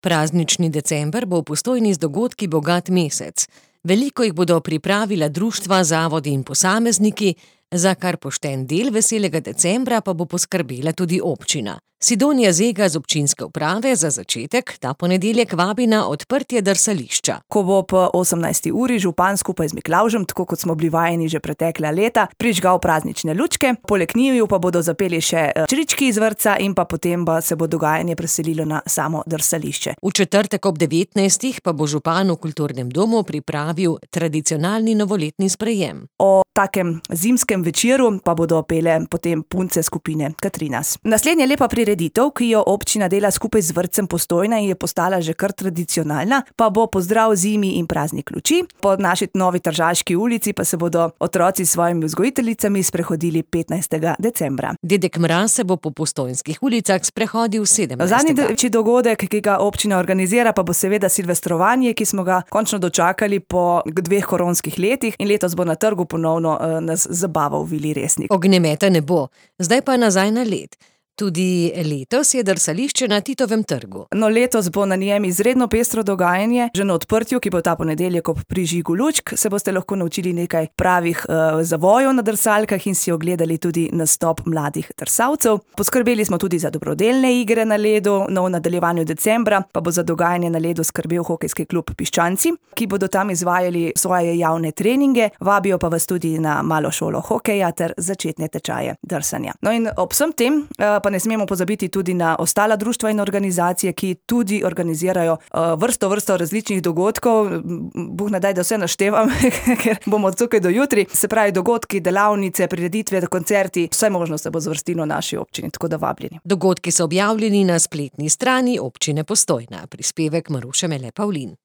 Praznični december bo v Postojni z dogodki bogat mesec. Veliko jih bodo pripravila društva, zavodi in posamezniki, za kar pošten del veselega decembra pa bo poskrbela tudi občina. Sidonija Zega z občinske uprave za začetek ta ponedeljek vabi na odprtje drsališča. Ko bo po 18. uri župan skupaj z Miklavžem, tako kot smo bili vajeni že pretekla leta, prižgal praznične lučke, poleg njiju pa bodo zapeli še črički iz vrtca in pa potem se bo dogajanje preselilo na samo drsališče. V četrtek ob 19. pa bo župan v kulturnem domu pripravil tradicionalni novoletni sprejem. O takem zimskem večeru pa bodo pele potem punce skupine Katrinas. Naslednja lepa prireditev, ki jo občina dela skupaj z vrtcem Postojna in je postala že kar tradicionalna, pa bo pozdrav zimi in praznik luči. Po naši novi Tržaški ulici pa se bodo otroci s svojimi vzgojiteljicami sprehodili 15. decembra. Dedek Mraz se bo po postojnskih ulicah sprehodil 17. Zadnji večji dogodek, ki ga občina organizira, pa bo seveda silvestrovanje, ki smo ga končno dočakali po 2 koronskih letih in letos bo na trgu ponovno nas zabaval Vili Resnik. Ognjemeta ne bo, zdaj pa nazaj na led. Tudi letos je drsališče na Titovem trgu. No, letos bo na njem izredno pestro dogajanje. Že na odprtju, ki bo ta ponedeljek ob prižigu lučk, se boste lahko naučili nekaj pravih zavojev na drsalkah in si ogledali tudi nastop mladih drsalcev. Poskrbeli smo tudi za dobrodelne igre na ledu. No, v nadaljevanju decembra pa bo za dogajanje na ledu skrbel hokejski klub Piščanci, ki bodo tam izvajali svoje javne treninge. Vabijo pa vas tudi na malo šolo hokeja ter začetne tečaje drsanja. No, in ob vsem tem pa ne smemo pozabiti tudi na ostala društva in organizacije, ki tudi organizirajo vrsto različnih dogodkov. Bog ne daj, da vse naštevam, ker bomo tukaj do jutri. Se pravi, dogodki, delavnice, prireditve, koncerti, vse možno se bo zvrstilo v naši občini, tako da vabljeni. Dogodki so objavljeni na spletni strani občine Postojna. Prispevek Maruše Mele Pavlin.